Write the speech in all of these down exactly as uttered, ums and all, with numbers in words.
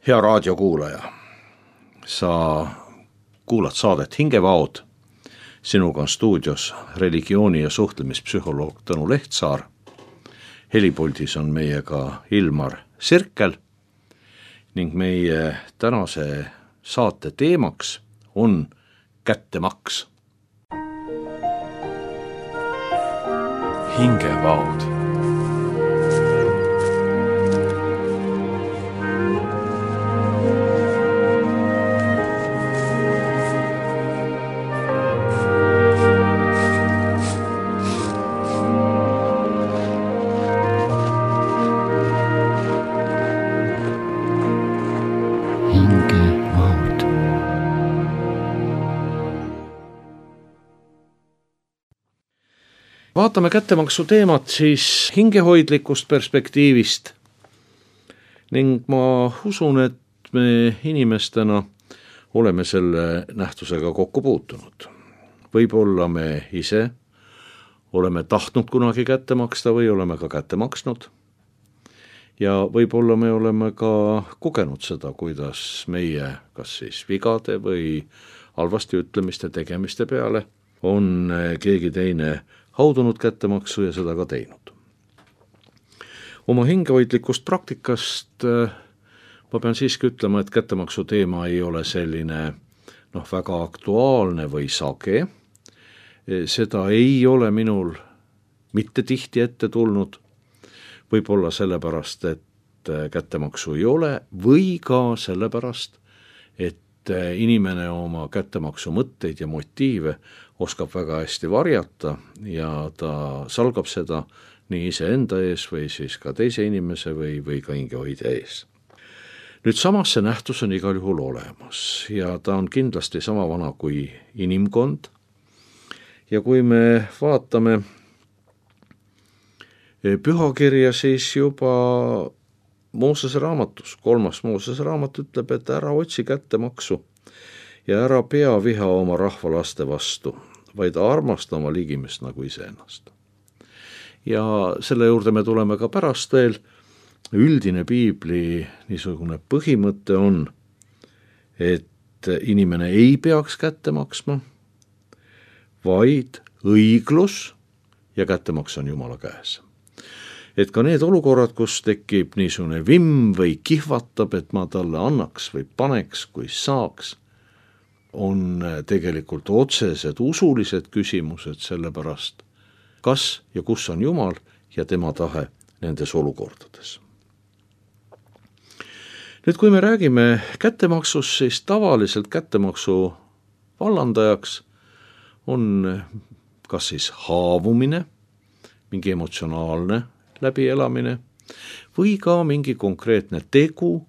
Hea raadiokuulaja, sa kuulad saadet Hingevaod. Sinuga on stuudios religiooni- ja suhtlemispsühholoog Tõnu Lehtsaar. Helipuldis on meiega Ilmar Sirkel ning meie tänase saate teemaks on kättemaks. Hingevaod. Vaatame kättemaksu teemat siis hingehoidlikust perspektiivist ning ma usun, et me inimestena oleme selle nähtusega kokku puutunud. Võib-olla me ise oleme tahtnud kunagi kätte maksta või oleme ka kätte maksnud ja võib-olla me oleme ka kogenud seda, kuidas meie kas siis vigade või halvasti ütlemiste tegemiste peale on keegi teine haudunud kättemaksu ja seda ka teinud. Oma hingehoidlikust praktikast ma pean siiski ütlema, et kättemaksu teema ei ole selline noh, väga aktuaalne või sage. Seda ei ole minul mitte tihti ette tulnud, võib-olla sellepärast, et kättemaksu ei ole või ka sellepärast, et inimene oma kättemaksu mõtteid ja motiive oskab väga hästi varjata ja ta salgab seda nii iseenda ees või siis ka teise inimese või, või ka hingehoidja ees. Nüüd samas see nähtus on igal juhul olemas ja ta on kindlasti sama vana kui inimkond. Ja kui me vaatame pühakirja, siis juba Moosese raamatus, kolmas Moosese raamat ütleb, et ära otsi kättemaksu ja ära pea viha oma rahva laste vastu, vaid armasta oma ligimest nagu iseennast. Ja selle juurde me tuleme ka pärast veel. Üldine piibli niisugune põhimõte on, et inimene ei peaks kätte maksma, vaid õiglus ja kättemaks on Jumala käes. Et ka need olukorrad, kus tekib niisugune vimm või kihvatab, et ma talle annaks või paneks, kui saaks, on tegelikult otsesed usulised küsimused sellepärast, kas ja kus on Jumal ja tema tahe nendes olukordades. Nüüd, kui me räägime kättemaksust, siis tavaliselt kättemaksu vallandajaks on kas siis haavumine, mingi emotsionaalne läbielamine või ka mingi konkreetne tegu,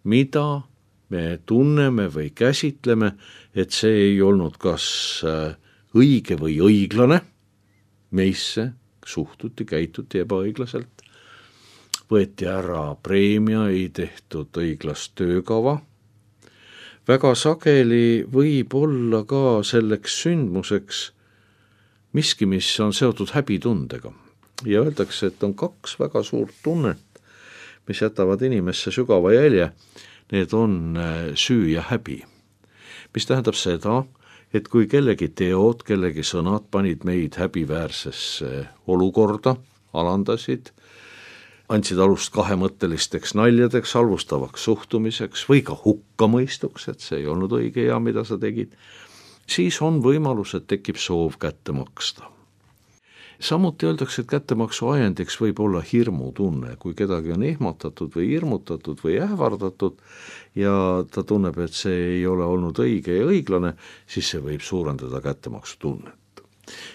mida me tunneme või käsitleme, et see ei olnud kas õige või õiglane, meisse suhtuti, käituti ebaõiglaselt, võeti ära preemia, ei tehtud õiglast töökava. Väga sageli võib olla ka selleks sündmuseks miski, mis on seotud häbitundega. Ja öeldakse, et on kaks väga suurt tunnet, mis jätavad inimesse sügava jälje. Need on süü ja häbi, mis tähendab seda, et kui kellegi teod, kellegi sõnad panid meid häbiväärsesse olukorda, alandasid, andsid alust kahemõttelisteks naljadeks, halvustavaks suhtumiseks või ka hukkamõistuks, et see ei olnud õige ja mida sa tegid, siis on võimalus, et tekib soov kätte maksta. Samuti öeldakse, et kättemaksu ajendiks võib olla hirmutunne, kui kedagi on ehmatatud või hirmutatud või ähvardatud ja ta tunneb, et see ei ole olnud õige ja õiglane, siis see võib suurendada kättemaksu tunnet.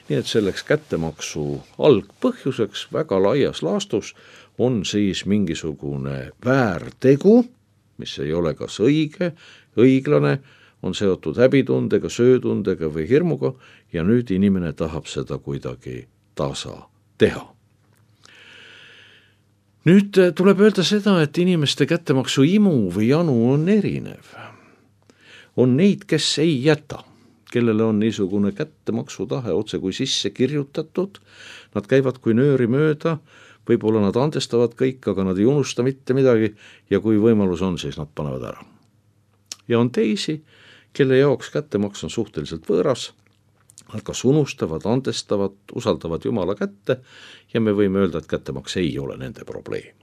Nii et selleks kättemaksu algpõhjuseks väga laias laastus on siis mingisugune väärtegu, mis ei ole kas õige, õiglane, on seotud häbitundega, söötundega või hirmuga ja nüüd inimene tahab seda kuidagi tasa teha. Nüüd tuleb öelda seda, et inimeste kättemaksu imu või janu on erinev. On neid, kes ei jäta, kellele on niisugune kättemaksu tahe otse kui sisse kirjutatud, nad käivad kui nööri mööda, võib-olla nad andestavad kõik, aga nad ei unusta mitte midagi ja kui võimalus on, siis nad panevad ära. Ja on teisi, kelle jaoks kättemaks on suhteliselt võõras, nad kas unustavad, andestavad, usaldavad Jumala kätte ja me võime öelda, et kättemaks ei ole nende probleem.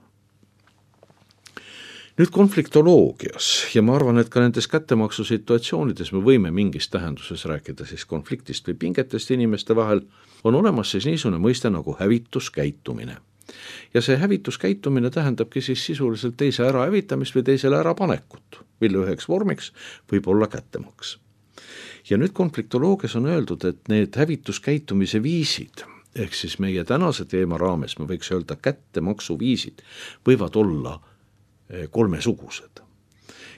Nüüd konfliktoloogias ja ma arvan, et ka nendes kättemaksu situatsioonides me võime mingis tähenduses rääkida siis konfliktist või pingetest inimeste vahel, on olemas siis niisugune mõiste nagu hävituskäitumine. Ja see hävituskäitumine tähendabki siis sisuliselt teise ära hävitamist või teisele ära panekut, mille üheks vormiks võib olla kättemaks. Ja nüüd konfliktoloogias on öeldud, et need hävituskäitumise viisid, ehk siis meie tänase teema raames me võiks öelda kättemaksu viisid, võivad olla kolmesugused.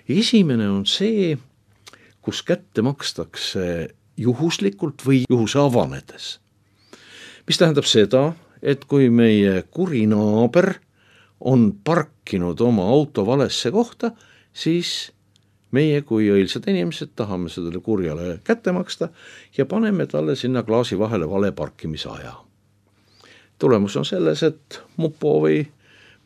Esimene on see, kus kätte makstakse juhuslikult või juhuse avanedes. Mis tähendab seda, et kui meie kuri naaber on parkinud oma auto valesse kohta, siis meie kui õilsad inimesed tahame sellele kurjale kätte maksta ja paneme talle sinna klaasi vahele vale parkimisaja. Tulemus on selles, et mupo või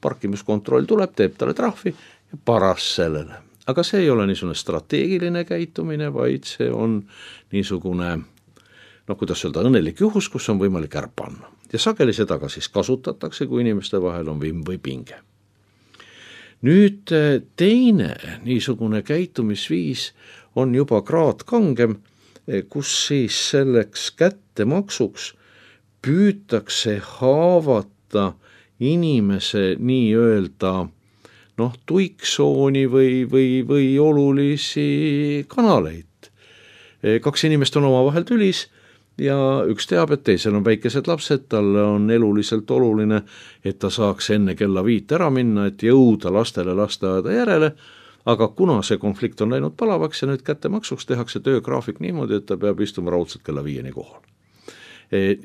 parkimiskontroll tuleb, teeb talle trahvi ja paras sellele. Aga see ei ole niisugune strateegiline käitumine, vaid see on niisugune, no kuidas öelda, õnnelik juhus, kus on võimalik ära panna. Ja sageli seda ka siis kasutatakse, kui inimeste vahel on vimm või pinge. Nüüd teine niisugune käitumisviis on juba kraad kangem, kus siis selleks kättemaksuks püütakse haavata inimese nii-öelda noh, tuiksooni või, või, või olulisi kanaleid. Kaks inimest on omavahel tülis ja üks teab, et teisel on väikesed lapsed, talle on eluliselt oluline, et ta saaks enne kella viit ära minna, et jõuda lastele lasteaeda järele, aga kuna see konflikt on läinud palavaks ja nüüd kättemaksuks tehakse töögraafik niimoodi, et ta peab istuma raudselt kella viieni kohal.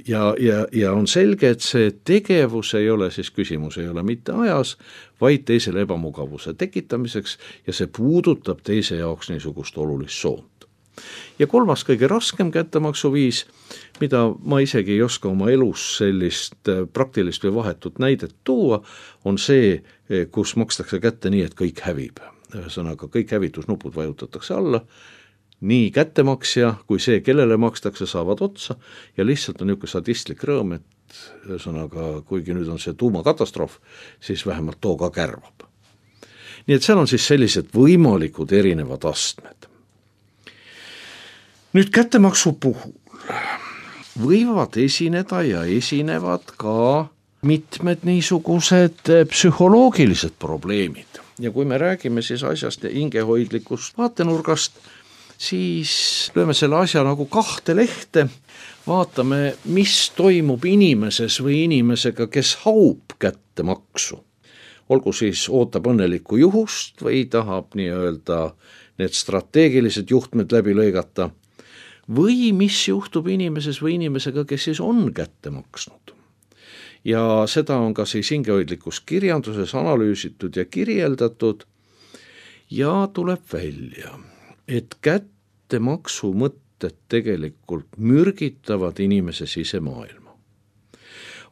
Ja, ja, ja on selge, et see tegevus ei ole, siis küsimus ei ole mitte ajas, vaid teisele ebamugavuse tekitamiseks ja see puudutab teise jaoks niisugust olulist soont. Ja kolmas kõige raskem kättemaksuviis, mida ma isegi ei oska oma elus sellist praktilist või vahetut näidet tuua, on see, kus makstakse kätte nii, et kõik hävib. Ühesõnaga, kõik hävitusnupud vajutatakse alla, nii kättemaksja kui see, kellele makstakse, saavad otsa ja lihtsalt on niisugune sadistlik rõõm, et ühesõnaga, kuigi nüüd on see tuumakatastroof, siis vähemalt too ka kärvab. Nii et seal on siis sellised võimalikud erinevad astmed. Nüüd kättemaksu puhul võivad esineda ja esinevad ka mitmed niisugused psühholoogilised probleemid. Ja kui me räägime siis asjast hingehoidlikust vaatenurgast, siis lööme selle asja nagu kahte lehte, vaatame, mis toimub inimeses või inimesega, kes haub kättemaksu. Olgu siis ootab õnnelikku juhust või tahab nii-öelda need strateegilised juhtmed läbi lõigata, või mis juhtub inimeses või inimesega, kes siis on kätte maksnud. Ja seda on ka siis hingehoidlikus kirjanduses analüüsitud ja kirjeldatud ja tuleb välja, et kättemaksu mõtted tegelikult mürgitavad inimese sisemaailma.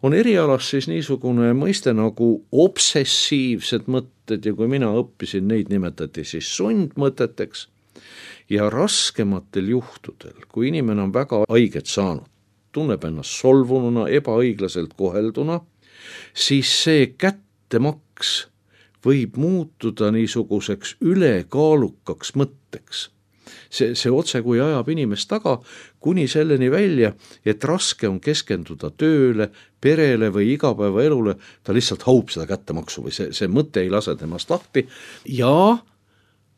On erialas siis niisugune mõiste nagu obsessiivsed mõtted ja kui mina õppisin, neid nimetati siis sundmõteteks ja raskematel juhtudel, kui inimene on väga haiget saanud, tunneb ennast solvununa, ebaõiglaselt kohelduna, siis see kättemaks võib muutuda niisuguseks ülekaalukaks mõtteks. See, see otse kui ajab inimest taga kuni selleni välja, et raske on keskenduda tööle, perele või igapäevaelule, ta lihtsalt haub seda kättemaksu või see, see mõte ei lase temast lahti ja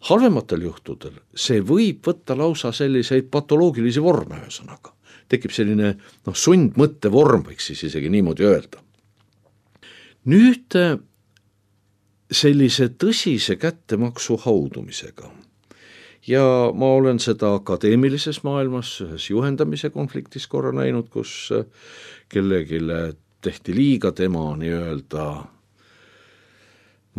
halvematel juhtudel see võib võtta lausa selliseid patoloogilisi vorme ühesõnaga. Tekib selline no, sundmõtte vorm, võiks siis isegi niimoodi öelda. Nüüd sellise tõsise kättemaksu haudumisega ja ma olen seda akadeemilises maailmas ühes juhendamise konfliktis korra näinud, kus kellegile tehti liiga tema nii-öelda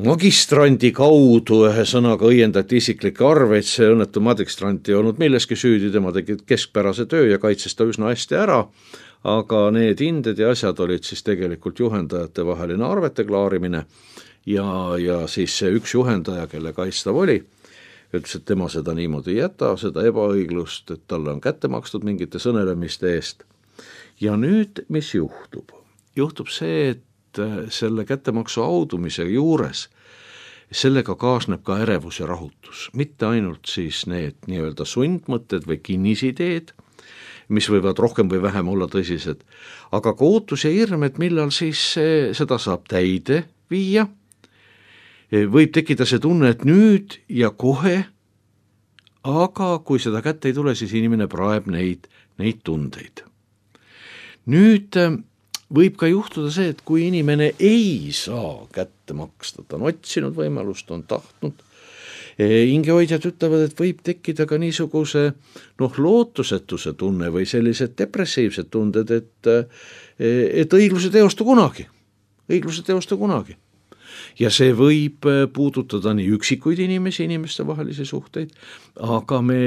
magistrandi kaudu, ühesõnaga õiendati isiklikke arveid, see õnnetu magistrant ei olnud milleski süüdi, tema tegi keskpärase töö ja kaitses ta üsna hästi ära, aga need hinded ja asjad olid siis tegelikult juhendajate vaheline arvete klaarimine ja, ja siis see üks juhendaja, kelle kaitstav oli, ütles, et tema seda niimoodi ei jäta, seda ebaõiglust, et talle on kätte makstud mingite sõnelemiste eest. Ja nüüd, mis juhtub? Juhtub see, et selle kättemaksu audumise juures sellega kaasneb ka ärevus ja rahutus, mitte ainult siis need nii-öelda sundmõtted või kinnisideed, mis võivad rohkem või vähem olla tõsised, aga ka ootus ja hirm, et millal siis seda saab täide viia, võib tekkida see tunne, et nüüd ja kohe, aga kui seda kätte ei tule, siis inimene praeb neid, neid tundeid. Nüüd võib ka juhtuda see, et kui inimene ei saa kätte maksta, ta on otsinud võimalust, on tahtnud, hingehoidjad ütlevad, et võib tekkida ka niisuguse noh, lootusetuse tunne või sellised depressiivsed tunded, et, et õigluse teostu kunagi, õigluse teostu kunagi. Ja see võib puudutada nii üksikuid inimesi, inimeste vahelisi suhteid, aga me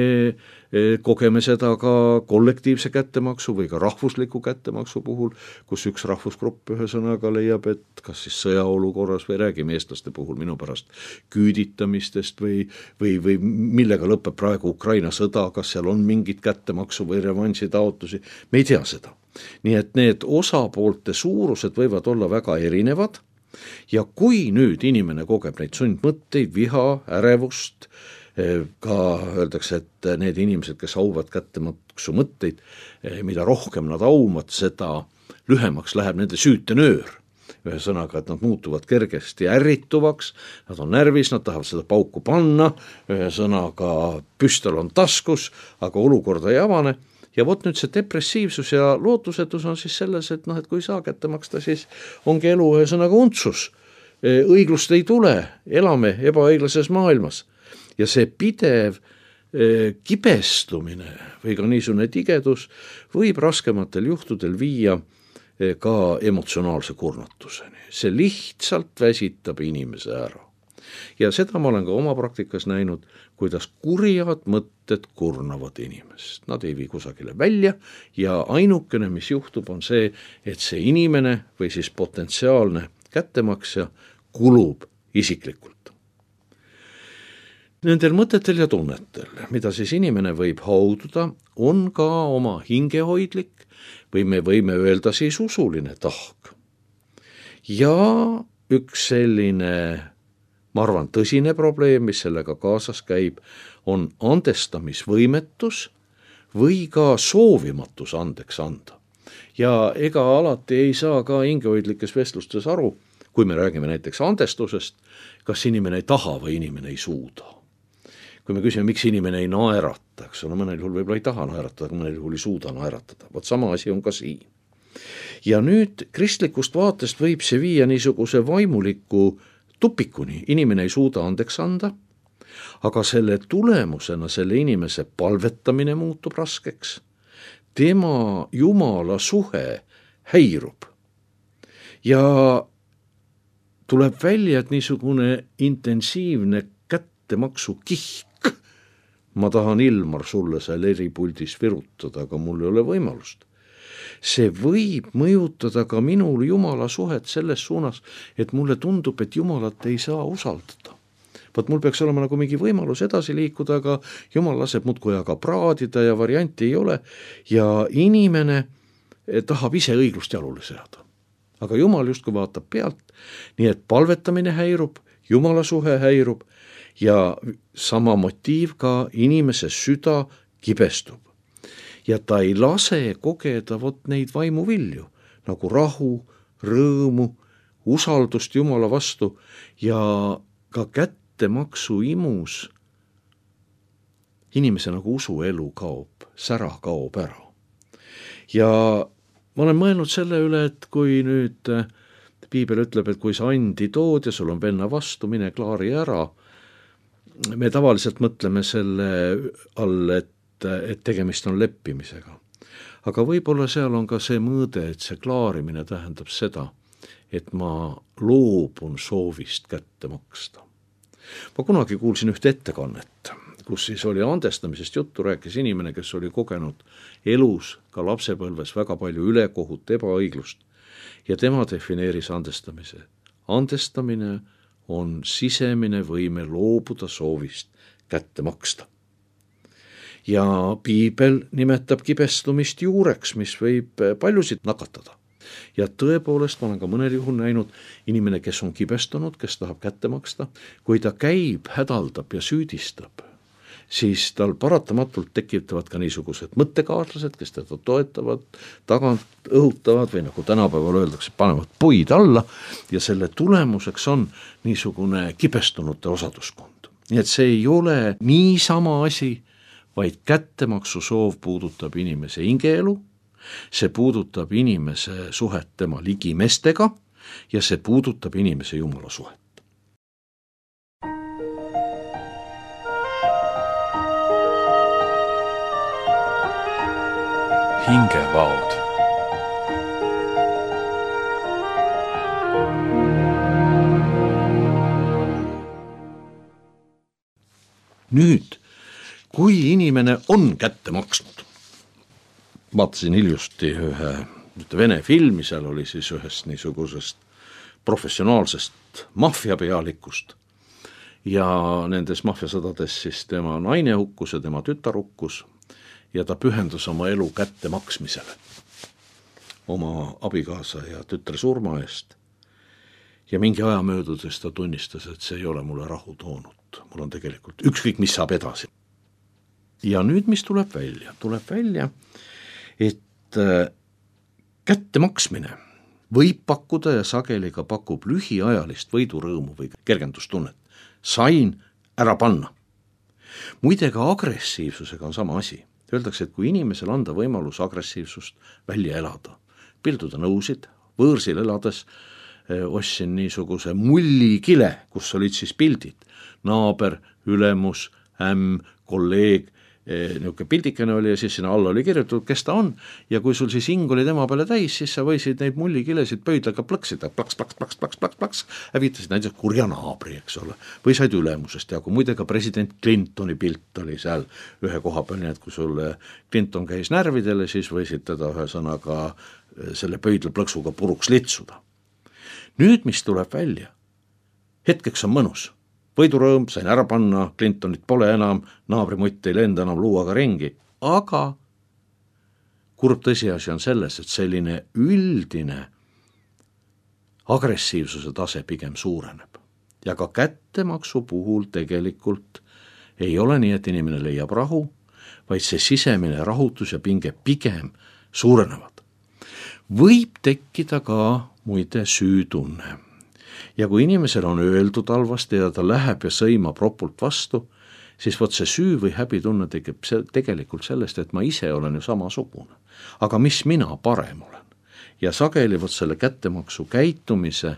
kogeme seda ka kollektiivse kättemaksu või ka rahvusliku kättemaksu puhul, kus üks rahvusgrupp ühesõnaga leiab, et kas siis sõjaolukorras või räägime eestlaste puhul minu pärast küüditamistest või, või, või millega lõpeb praegu Ukraina sõda, kas seal on mingit kättemaksu või revansi taotlusi, me ei tea seda. Nii et need osapoolte suurused võivad olla väga erinevad. Ja kui nüüd inimene kogeb neid sundmõtteid, viha, ärevust, ka öeldakse, et need inimesed, kes auvad kättemaksu mõtteid, mida rohkem nad aumad, seda lühemaks läheb nende süütenöör. Ühesõnaga, et nad muutuvad kergesti ärrituvaks, nad on närvis, nad tahavad seda pauku panna, ühesõnaga püstol on taskus, aga olukorda ei avane. Ja vot nüüd see depressiivsus ja lootusetus on siis selles, et, noh, et kui saa kätte maksta, siis ongi elu ühesõnaga untsus. Õiglust ei tule, elame ebaõiglases maailmas. Ja see pidev kibestumine või ka niisugune tigedus võib raskematel juhtudel viia ka emotsionaalse kurnatuseni. See lihtsalt väsitab inimese ära. Ja seda ma olen ka oma praktikas näinud, kuidas kurjad mõtted kurnavad inimest. Nad ei vii kusagile välja ja ainukene, mis juhtub, on see, et see inimene või siis potentsiaalne kättemaksja kulub isiklikult. Nendel mõtetel ja tunnetel, mida siis inimene võib haududa, on ka oma hingehoidlik või me võime öelda siis usuline tahk. Ja üks selline ma arvan, tõsine probleem, mis sellega kaasas käib, on andestamisvõimetus või ka soovimatus andeks anda. Ja ega alati ei saa ka hingehoidlikes vestlustes aru, kui me räägime näiteks andestusest, kas inimene ei taha või inimene ei suuda. Kui me küsime, miks inimene ei naerata, eks ole, mõnel juhul võib-olla ei taha naeratada, aga mõnel juhul ei suuda naeratada. Vot sama asi on ka siin. Ja nüüd kristlikust vaatest võib see viia niisuguse vaimuliku tupikuni, inimene ei suuda andeks anda, aga selle tulemusena selle inimese palvetamine muutub raskeks. Tema Jumala suhe häirub. Ja tuleb välja, et niisugune intensiivne kättemaksu kihk. Ma tahan, Ilmar, sulle seal eripuldis virutada, aga mul ei ole võimalust. See võib mõjutada ka minul Jumala suhet selles suunas, et mulle tundub, et Jumalat ei saa usaldada. Vaat mul peaks olema nagu mingi võimalus edasi liikuda, aga Jumal laseb muudkui aga praadida ja varianti ei ole ja inimene tahab ise õiglust jalule seada. Aga Jumal justkui vaatab pealt, nii et palvetamine häirub, Jumala suhe häirub ja sama motiiv ka inimese süda kibestub. Ja ta ei lase kogeda vot neid vaimuvilju, nagu rahu, rõõmu, usaldust Jumala vastu ja ka kättemaksu imus inimese nagu usuelu kaob, sära kaob ära. Ja ma olen mõelnud selle üle, et kui nüüd Piibel ütleb, et kui sa andi tood ja sul on venna vastu, mine klaari ära, me tavaliselt mõtleme selle all, et et tegemist on leppimisega. Aga võib-olla seal on ka see mõõde, et see klaarimine tähendab seda, et ma loobun soovist kätte maksta. Ma kunagi kuulsin ühte ettekannet, kus siis oli andestamisest juttu, rääkis inimene, kes oli kogenud elus ka lapsepõlves väga palju ülekohut, ebaõiglust ja tema defineeris andestamise. Andestamine on sisemine võime loobuda soovist kätte maksta. Ja piibel nimetab kibestumist juureks, mis võib paljusid nakatada. Ja tõepoolest ma olen ka mõnel juhul näinud inimene, kes on kibestunud, kes tahab kätte maksta, kui ta käib, hädaldab ja süüdistab, siis tal paratamatult tekitavad ka niisugused mõttekaaslased, kes teda toetavad, tagant õhutavad või nagu tänapäeval öeldakse, panevad puid alla ja selle tulemuseks on niisugune kibestunute osaduskond. Nii et see ei ole niisama asi, vaid kättemaksu soov puudutab inimese hingeelu, see puudutab inimese suhet tema ligimestega ja see puudutab inimese Jumala suhet. Hingevaod. Nüüd, kui inimene on kätte maksnud, vaatasin hiljuti ühe vene filmi, seal oli siis ühest niisugusest professionaalsest maffiapealikust ja nendes maffiasõdades siis tema naine hukkus ja tema tütar hukkus ja ta pühendus oma elu kätte maksmisele oma abikaasa ja tütre surma eest ja mingi aja möödudes ta tunnistas, et see ei ole mulle rahu toonud, mul on tegelikult ükskõik, mis saab edasi. Ja nüüd, mis tuleb välja? Tuleb välja, et kätte maksmine võib pakkuda ja sageli ka pakub lühiajalist võidurõõmu või kergendustunnet. Sain ära panna. Muide ka agressiivsusega on sama asi. Öeldakse, et kui inimesel anda võimalus agressiivsust välja elada, pilduda nõusid, võõrsil elades ostsin niisuguse mullikile, kus olid siis pildid, naaber, ülemus, ämm, kolleeg, niisugune pildikene oli ja siis sinna alla oli kirjutatud, kes ta on ja kui sul siis hing oli tema peale täis, siis sa võisid neid mullikilesid pöidlaga plõksida, plaks, plaks, plaks, plaks, plaks, plaks, hävitasid näiteks kurja naabri, eks ole, või said ülemusest ja kui muide ka president Clintoni pilt oli seal ühe koha peal, nii et kui sulle Clinton käis närvidele, siis võisid teda ühe sõnaga selle pöidla plõksuga puruks litsuda. Nüüd, mis tuleb välja, hetkeks on mõnus. Võidurõõm, sain ära panna, Clintonit pole enam, naabrimutt ei lenda enam luuaga ringi, aga kurb tõsiasi on selles, et selline üldine agressiivsuse tase pigem suureneb. Ja ka kättemaksu puhul tegelikult ei ole nii, et inimene leiab rahu, vaid see sisemine rahutus ja pinge pigem suurenevad. Võib tekkida ka muide süütunne. Ja kui inimesel on öeldud halvasti ja ta läheb ja sõimab ropult vastu, siis võt see süü või häbitunne tekib tegelikult sellest, et ma ise olen ju samasugune. Aga mis mina parem olen? Ja sageli võt selle kättemaksu käitumise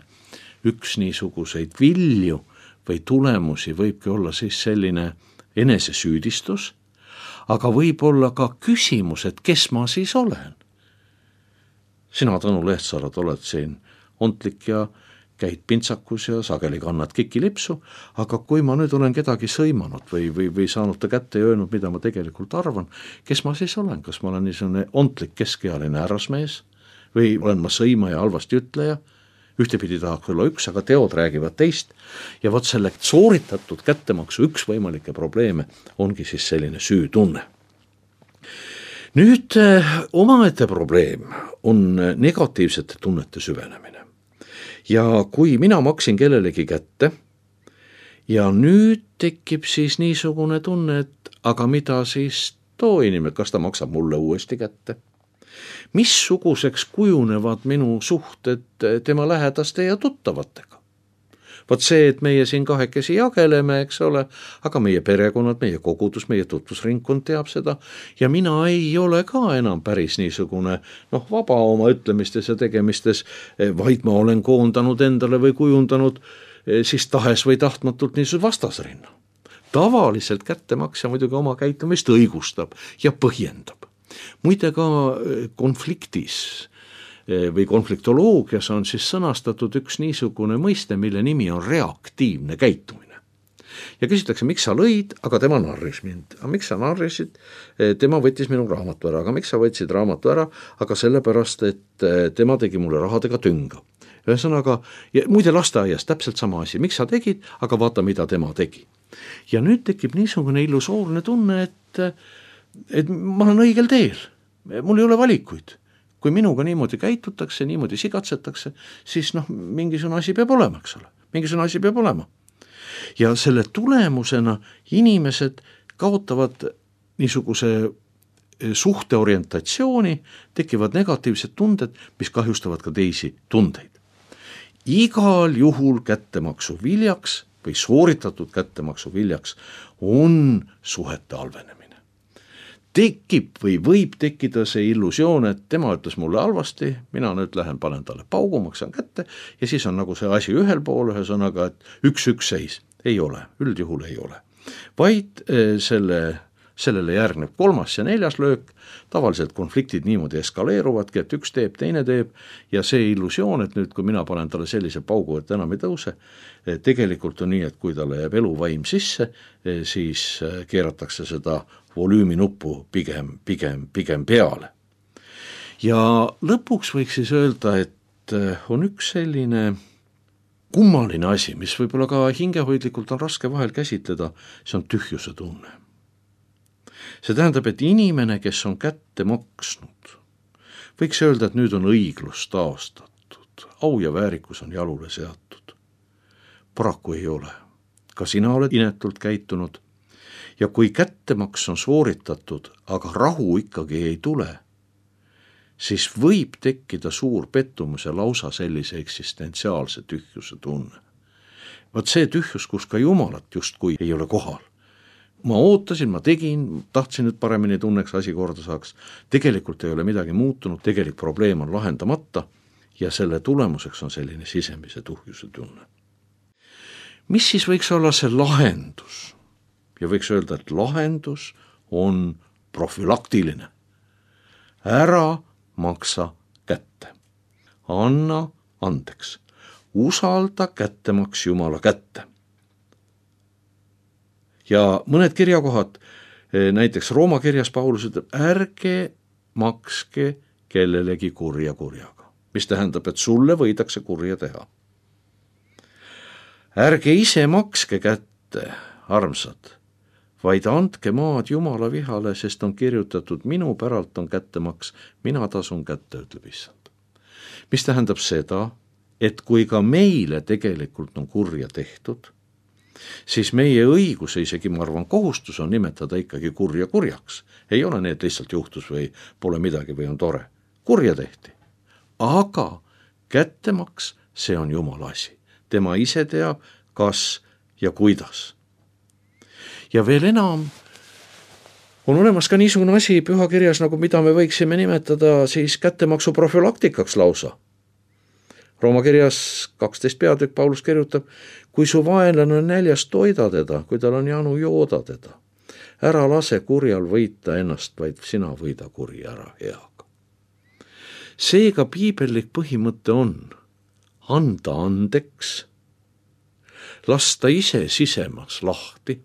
üks niisuguseid vilju või tulemusi võibki olla siis selline enesesüüdistus, aga võib olla ka küsimus, et kes ma siis olen? Sina, Tõnu Lehtsaarad, oled siin ontlik ja käid pintsakus ja sageli kannad kikilipsu, aga kui ma nüüd olen kedagi sõimanud või, või, või saanud ta kätte ja öelnud, mida ma tegelikult arvan, kes ma siis olen? Kas ma olen niisugune ontlik keskealine härrasmees või olen ma sõima ja halvasti ütleja? Ühtepidi tahaks olla üks, aga teod räägivad teist ja vot selle sooritatud kättemaksu üks võimalikke probleeme ongi siis selline süütunne. Nüüd omaette probleem on negatiivsete tunnete süvenemine. Ja kui mina maksin kellelegi kätte ja nüüd tekib siis niisugune tunne, et aga mida siis too inimene, kas ta maksab mulle uuesti kätte? Missuguseks kujunevad minu suhted tema lähedaste ja tuttavatega? Vaat see, et meie siin kahekesi jageleme, eks ole, aga meie perekonnad, meie kogudus, meie tutvusringkond teab seda ja mina ei ole ka enam päris niisugune noh, vaba oma ütlemistes ja tegemistes, vaid ma olen koondanud endale või kujundanud siis tahes või tahtmatult niisugune vastasrinna. Tavaliselt kättemaksja muidugi oma käitumist õigustab ja põhjendab. Muide ka konfliktis või konfliktoloogias on siis sõnastatud üks niisugune mõiste, mille nimi on reaktiivne käitumine. ja küsitakse, miks sa lõid, aga tema narris mind. Aga miks sa narrisid? Tema võttis minu raamatu ära, aga miks sa võtsid raamatu ära? Aga sellepärast, et tema tegi mulle rahadega tünga. Ühesõnaga, ja muide lasteaias täpselt sama asi, miks sa tegid, aga vaata, mida tema tegi. Ja nüüd tekib niisugune illusoorne tunne, et, et ma olen õigel teel, mul ei ole valikuid. Kui minuga niimoodi käitutakse, niimoodi sigatsetakse, siis noh, mingisugune asi peab olema, eks ole. Mingisugune asi peab olema. Ja selle tulemusena inimesed kaotavad niisuguse suhteorientatsiooni, tekivad negatiivsed tunded, mis kahjustavad ka teisi tundeid. Igal juhul kättemaksu viljaks või sooritatud kättemaksu viljaks on suhete halvenemine. Tekib või võib tekkida see illusioon, et tema ütles mulle halvasti, mina nüüd lähen, panen talle paugu, maksan kätte ja siis on nagu see asi ühel pool, ühesõnaga, et üks-üks seis. Ei ole, üldjuhul ei ole. Vaid selle, sellele järgneb kolmas ja neljas löök, tavaliselt konfliktid niimoodi eskaleeruvadki, et üks teeb, teine teeb ja see illusioon, et nüüd kui mina panen talle sellise paugu, et enam ei tõuse, tegelikult on nii, et kui talle jääb eluvaim sisse, siis keeratakse seda volüüminuppu pigem, pigem, pigem peale. Ja lõpuks võiks siis öelda, et on üks selline kummaline asi, mis võib-olla ka hingehoidlikult on raske vahel käsitleda, see on tühjuse tunne. See tähendab, et inimene, kes on kätte maksnud, võiks öelda, et nüüd on õiglus taastatud, au ja väärikus on jalule seatud. Paraku ei ole. Ka sina oled inetult käitunud ja kui kättemaks on sooritatud, aga rahu ikkagi ei tule, siis võib tekkida suur pettumus ja lausa sellise eksistentsiaalse tühjuse tunne. Vaat see tühjus, kus ka Jumalat justkui ei ole kohal. Ma ootasin, ma tegin, tahtsin, et paremini tunneks, asi korda saaks. Tegelikult ei ole midagi muutunud, tegelik probleem on lahendamata ja selle tulemuseks on selline sisemise tühjuse tunne. Mis siis võiks olla see lahendus? Ja võiks öelda, et lahendus on profülaktiline. Ära maksa kätte. Anna andeks. Usalda kättemaks Jumala kätte. Ja mõned kirjakohad, näiteks Rooma kirjas Paulus ütleb, ärge makske kellelegi kurja kurjaga, mis tähendab, et sulle võidakse kurja teha. Ärge ise makske kätte, armsad, vaid andke maad Jumala vihale, sest on kirjutatud, minu päralt on kättemaks, mina tasun kätte, ütleb issand. Mis tähendab seda, et kui ka meile tegelikult on kurja tehtud, siis meie õigus, isegi ma arvan, kohustus on nimetada ikkagi kurja kurjaks. Ei ole need lihtsalt juhtus või pole midagi või on tore. Kurja tehti. Aga kättemaks, see on Jumala asi. Tema ise teab, kas ja kuidas. Ja veel enam on olemas ka niisugune asi pühakirjas, nagu mida me võiksime nimetada siis kättemaksu profülaktikaks lausa. Rooma kirjas kaksteist peatükk Paulus kirjutab, kui su vaenlane on näljas, toida teda, kui tal on janu, jooda teda. Ära lase kurjal võita ennast, vaid sina võida kuri ära heaga. Seega piibellik põhimõte on anda andeks, lasta ise sisemas lahti,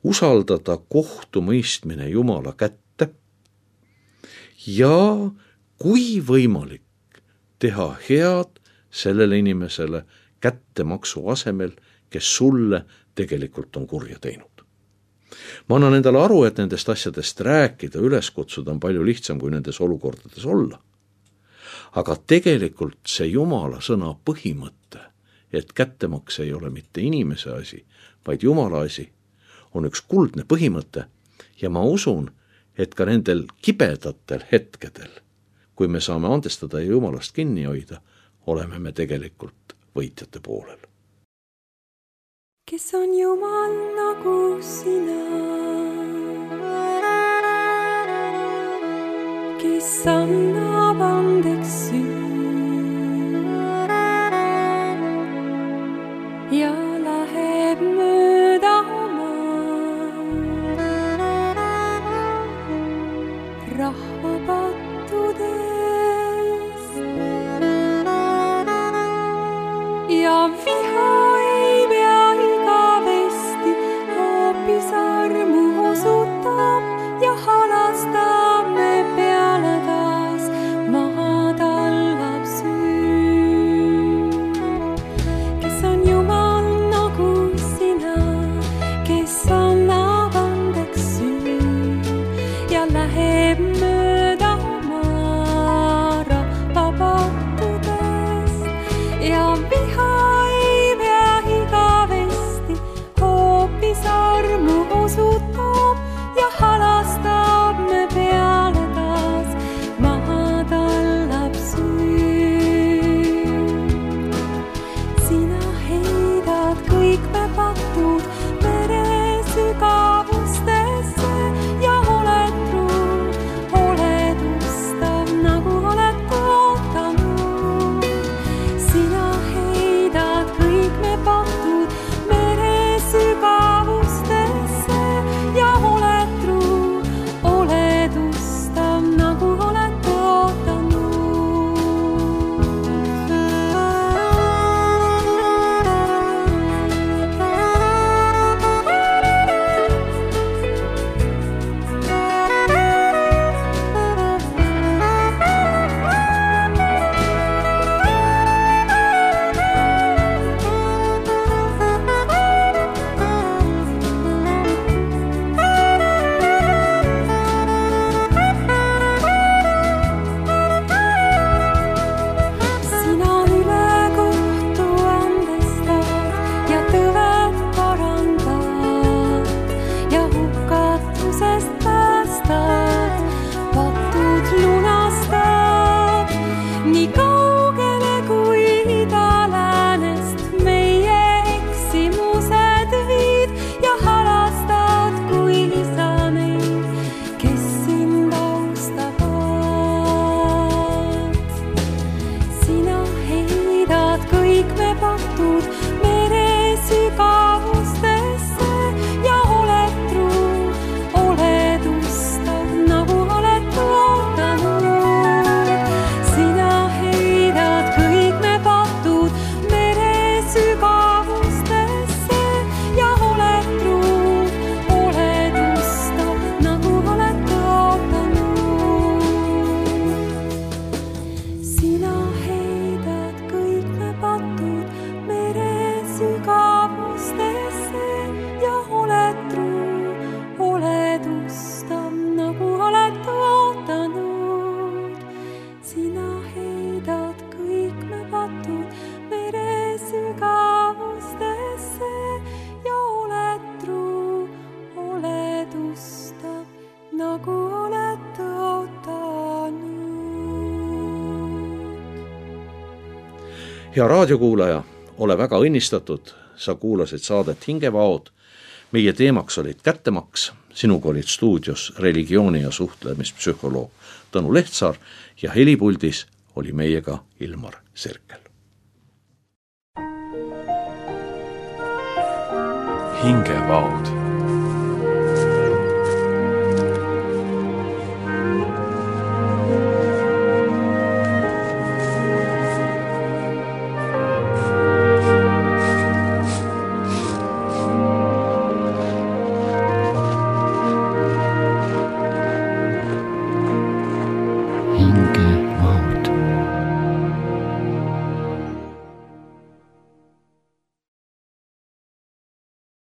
usaldada kohtumõistmine Jumala kätte ja kui võimalik, teha head sellele inimesele kättemaksu asemel, kes sulle tegelikult on kurja teinud. Ma annan endale aru, et nendest asjadest rääkida, üles kutsuda on palju lihtsam kui nendes olukordades olla. Aga tegelikult see Jumala sõna põhimõte, et kättemaks ei ole mitte inimese asi, vaid Jumala asi, on üks kuldne põhimõte ja ma usun, et ka nendel kibedatel hetkedel, kui me saame andestada ja Jumalast kinni hoida, oleme me tegelikult võitjate poolel. Kes on Jumal nagu sina, kes annab andeks süü ja läheb mööda maa rahva pattudest ja viha ei pea igavesti kes annab andeks süü ja läheb mööda oma rahva pattudest ja viha ei pea igavesti, hoopis armu osutab ja halastab me peale taas, maha tallab süü. Sina heidad kõik me patud mere sügavustesse ja oled truu, oled ustav, nagu oled ootanud. Sina heidad kõik me patud mere sügavustesse ja oled truu, oled ustav, nagu oled ootanud. Sina ülekohtu andestad ja tõved parandad ja hukatusest päästad, patud lunastad. Nii kaugele kui ida-läänest meie eksimused viid ja halastad kui isa neid, kes sind austavad. Sina heidad kõik me patud mere sügavustesse ja oled truu, oled ustav, nagu oled ootanud. Sina heidad kõik me patud mere sügavustesse ja oled truu, oled ustav, nagu oled ootanud. Sina heidad kõik me patud mere sügavustesse ja oled truu, oled ustav, nagu oled ootanud. Sina heidad kõik me patud mere sügavustesse ja oled truu, oled ustav, nagu oled ootanud. hea raadiokuulaja, ole väga õnnistatud, sa kuulasid saadet Hingevaod. Meie teemaks olid kättemaks, sinuga olid stuudios religiooni- ja suhtlemispsühholoog Tõnu Lehtsaar ja helipuldis oli meiega Ilmar Serkel. Hingevaod